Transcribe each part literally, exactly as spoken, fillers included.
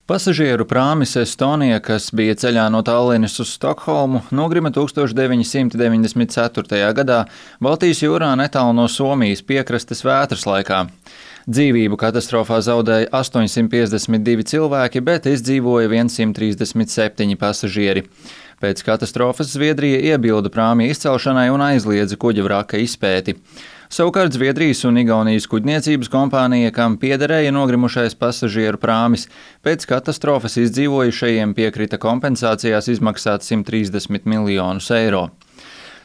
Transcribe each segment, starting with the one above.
Pasažieru prāmis Estonija, kas bija ceļā no Tallinas uz Stokholmu, nogrima tuksstoš deviņi simti deviņdesmit ceturtajā gadā Baltijas jūrā netālu no Somijas piekrastes vētras laikā. Dzīvību katastrofā zaudēja astoņsimt piecdesmit divi cilvēki, bet izdzīvoja simt trīsdesmit septiņi pasažieri. Pēc katastrofas Zviedrija iebilda prāmja izcelšanai un aizliedza kuģa vraka izpēti. Savukārt Zviedrijas un Igaunijas kuģniecības kompānija, kam piederēja nogrimušais pasažieru prāmis, pēc katastrofas izdzīvojušajiem piekrita kompensācijās izmaksāt simt trīsdesmit miljonus eiro.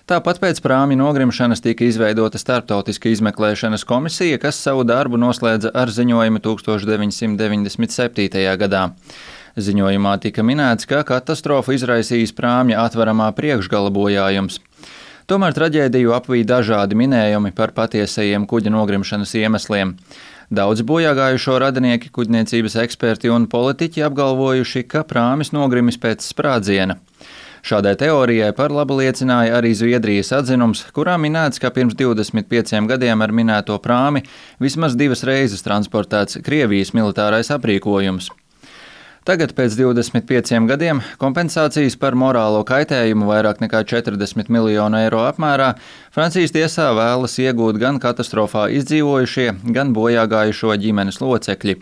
Tāpat pēc prāmja nogrimšanas tika izveidota starptautiska izmeklēšanas komisija, kas savu darbu noslēdza ar ziņojumu tuksstoš deviņi simti deviņdesmit septītajā gadā. Ziņojumā tika minēts, ka katastrofu izraisījis prāmja atveramā priekšgala bojājums. Tomēr traģēdiju apvīja dažādi minējumi par patiesajiem kuģa nogrimšanas iemesliem. Daudz bojāgājušo radinieki, kuģniecības eksperti un politiķi apgalvojuši, ka prāmis nogrimis pēc sprādziena. Šādai teorijai par labu liecināja arī Zviedrijas atzinums, kurā minēts, ka pirms divdesmit pieciem gadiem ar minēto prāmi vismaz divas reizes transportēts Krievijas militārais aprīkojums. Tagad, pēc divdesmit pieciem gadiem, kompensācijas par morālo kaitējumu vairāk nekā četrdesmit miljonu eiro apmērā Francijas tiesā vēlas iegūt gan katastrofā izdzīvojušie, gan bojāgājušo ģimenes locekļi.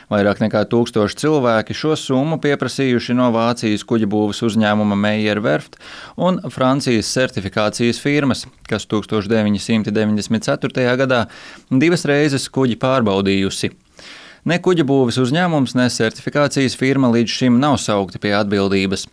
Vairāk nekā tūkstoši cilvēki šo summu pieprasījuši no Vācijas kuģibūves uzņēmuma Meyer Werft un Francijas certifikācijas firmas, kas tuksstoš deviņi simti deviņdesmit ceturtajā gadā divas reizes kuģi pārbaudījusi. Ne kuģibūves uzņēmums, ne certifikācijas firma līdz šim nav saukti pie atbildības.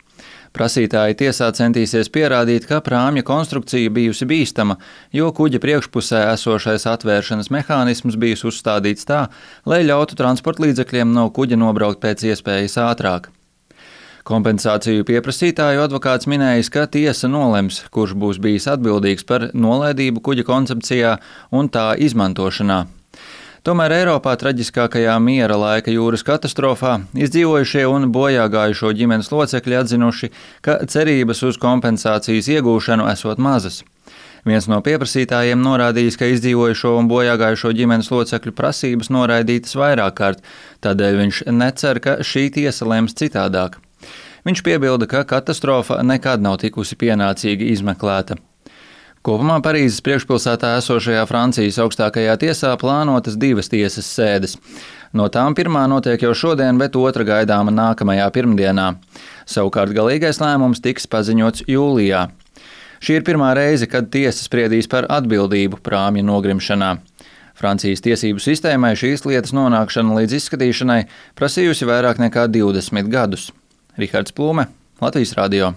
Prasītāji tiesā centīsies pierādīt, ka prāmja konstrukcija bijusi bīstama, jo kuģa priekšpusē esošais atvēršanas mehānisms bijis uzstādīts tā, lai ļautu transportlīdzekļiem no kuģa nobraukt pēc iespējas ātrāk. Kompensāciju pieprasītāju advokāts minējis, ka tiesa nolems, kurš būs bijis atbildīgs par nolaidību kuģa koncepcijā un tā izmantošanā. Tomēr Eiropā traģiskākajā miera laika jūras katastrofā izdzīvojušie un bojāgājušo ģimenes locekļi atzinuši, ka cerības uz kompensācijas iegūšanu esot mazas. Viens no pieprasītājiem norādījis, ka izdzīvojušo un bojāgājušo ģimenes locekļu prasības noraidītas vairāk kārt, tādēļ viņš necer, ka šī tiesa lems citādāk. Viņš piebilda, ka katastrofa nekad nav tikusi pienācīgi izmeklēta. Kopumā Parīzes priekšpilsētā esošajā Francijas augstākajā tiesā plānotas divas tiesas sēdes. No tām pirmā notiek jau šodien, bet otra gaidāma nākamajā pirmdienā. Savukārt galīgais lēmums tiks paziņots jūlijā. Šī ir pirmā reize, kad tiesa spriedīs par atbildību prāmja nogrimšanā. Francijas tiesību sistēmai šīs lietas nonākšana līdz izskatīšanai prasījusi vairāk nekā divdesmit gadus. Rihards Plūme, Latvijas radio.